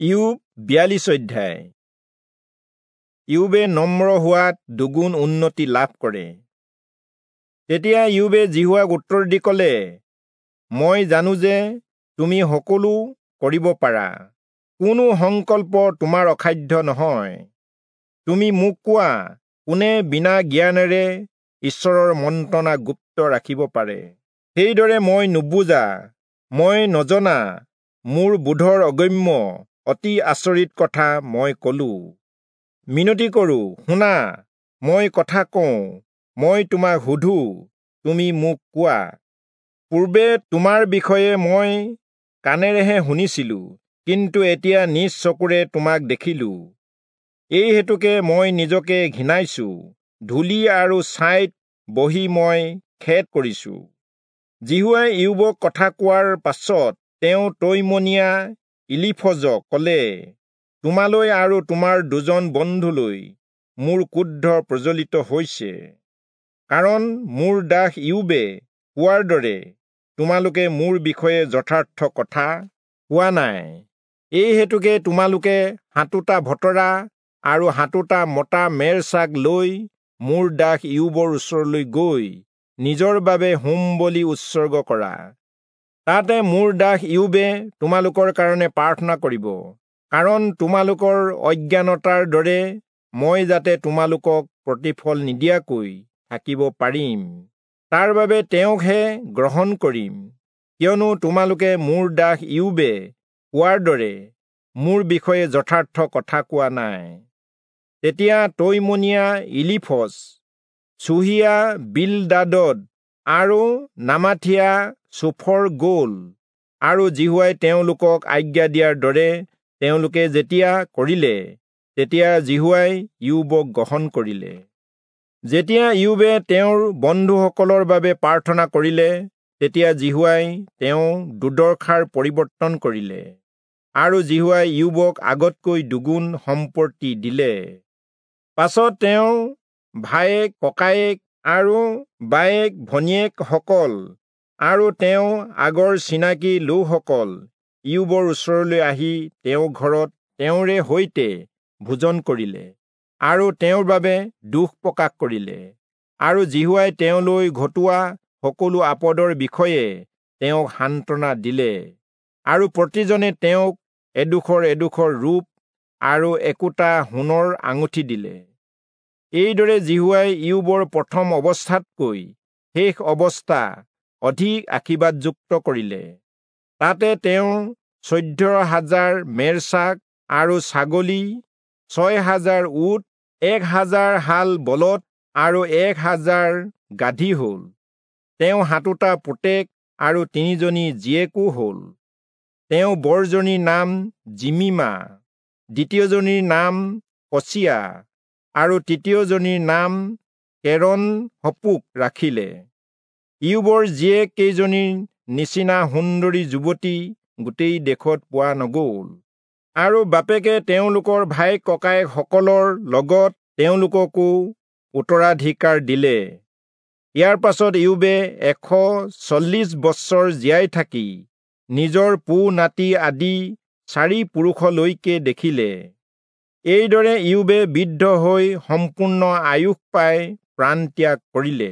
ইয়োব 42 অধ্যায়। ইয়োবে নম্ৰ হোৱাত দুগুণ উন্নতি লাভ কৰে। তেতিয়া ইয়োবে যিহোৱাক উত্তৰ দি কলে, মই জানো যে তুমি সকলো কৰিব পাৰা, কোনো সংকল্প তোমাৰ অসাধ্য নহয়। তুমি মোক কোৱা, কোনে বিনা জ্ঞানেৰে ঈশ্বৰৰ মন্ত্ৰণা গুপ্ত ৰাখিব পাৰে? সেইদৰে মই নুবুজা, মই নজনা, মোৰ বোধৰ অগম্য অতি আচৰিত কথা মই কলো। মিনতি কৰো, শুনা, মই কথা কওঁ, মই তোমাক সোধো, তুমি মোক কোৱা। পূৰ্বে তোমাৰ বিষয়ে মই কাণেৰেহে শুনিছিলো, কিন্তু এতিয়া নিজ চকুৰে তোমাক দেখিলো। এই হেতুকে মই নিজকে ঘিণাইছো, ধূলি আৰু ছাইত বহি মই খেদ কৰিছো। যিহোৱাই ইয়োবক কথা কোৱাৰ পাছত তেওঁ তৈমনীয়া ইলীফজক কলে, তোমালৈ আৰু তোমাৰ দুজন বন্ধুলৈ মোৰ ক্ৰোধ প্ৰজ্বলিত হৈছে, কাৰণ মোৰ দাস ইয়োবে কোৱাৰ দৰে তোমালোকে মোৰ বিষয়ে যথাৰ্থ কথা কোৱা নাই। এই হেতুকে তোমালোকে 7টা ভতৰা আৰু 7টা মতা মেৰছাক লৈ মোৰ দাস ইয়োবৰ ওচৰলৈ গৈ নিজৰ বাবে হোম বলি উৎসৰ্গ কৰা। তাতে মোৰ দাস ইয়োবে তোমালোকৰ কাৰণে প্ৰাৰ্থনা কৰিব, কাৰণ তোমালোকৰ অজ্ঞানতাৰ দৰে মই যাতে তোমালোকক প্ৰতিফল নিদিয়াকৈ থাকিব পাৰিম, তাৰ বাবে তেওঁকহে গ্ৰহণ কৰিম। কিয়নো তোমালোকে মোৰ দাস ইয়োবে কোৱাৰ দৰে মোৰ বিষয়ে যথাৰ্থ কথা কোৱা নাই। তেতিয়া তৈমনীয়া ইলীফজ, চুহিয়া বিলদাদদ আৰু নামাথিয়া চোফৰ গল, আৰু যিহোৱাই তেওঁলোকক আজ্ঞা দিয়াৰ দৰে তেওঁলোকে যেতিয়া কৰিলে, তেতিয়া যিহোৱাই ইয়োবক গ্ৰহণ কৰিলে। যেতিয়া ইয়োবে তেওঁৰ বন্ধুসকলৰ বাবে প্ৰাৰ্থনা কৰিলে, তেতিয়া যিহোৱাই তেওঁ দুৰ্দশাৰ পৰিৱৰ্তন কৰিলে, আৰু যিহোৱাই ইয়োবক আগতকৈ দুগুণ সম্পত্তি দিলে। পাছত তেওঁ ভায়েক ককায়েক আৰু বায়েক ভনীয়েকসকল আৰু তেওঁ আগৰ চিনাকি লোকসকল ইয়োবৰ ওচৰলৈ আহি তেওঁৰ ঘৰত তেওঁৰে সৈতে ভোজন কৰিলে আৰু তেওঁৰ বাবে দুখ প্ৰকাশ কৰিলে, আৰু যিহোৱাই তেওঁলৈ ঘটোৱা সকলো আপদৰ বিষয়ে তেওঁক সান্তনা দিলে। আৰু প্ৰতিজনে তেওঁক এডোখৰ এডোখৰ ৰূপ আৰু একোটা সোণৰ আঙুঠি দিলে। এইদৰে যিহোৱাই ইয়োবৰ প্ৰথম অৱস্থাতকৈ শেষ অৱস্থা অধিক আশীৰ্বাদযুক্ত কৰিলে। তাতে তেওঁ 14,000 মেৰছাক আৰু ছাগলী, 6,000 উট, 1,000 হাল বলদ আৰু 1,000 গাধী হল। তেওঁ 7টা পুতেক আৰু 3জনী জীয়েকো হল। তেওঁ বৰজনীৰ নাম জিমিমা, দ্বিতীয়জনীৰ নাম কচিয়া আৰু তৃতীয়জনীৰ নাম কেৰন হপুক ৰাখিলে। ইয়োবৰ জীয়েক কেইজনীৰ নিচিনা সুন্দৰী যুৱতী গোটেই দেশত পোৱা নগল। আৰু বাপেকে তেওঁলোকৰ ভাই ককায়েকসকলৰ লগত তেওঁলোককো উত্তৰাধিকাৰ দিলে। ইয়াৰ পাছত ইয়োবে 140 বছৰ জীয়াই থাকি নিজৰ পো নাতি আদি 4 পুৰুষলৈকে দেখিলে। এইদৰে ইয়োবে বৃদ্ধ হৈ সম্পূৰ্ণ আয়ুস পাই প্ৰাণ ত্যাগ কৰিলে।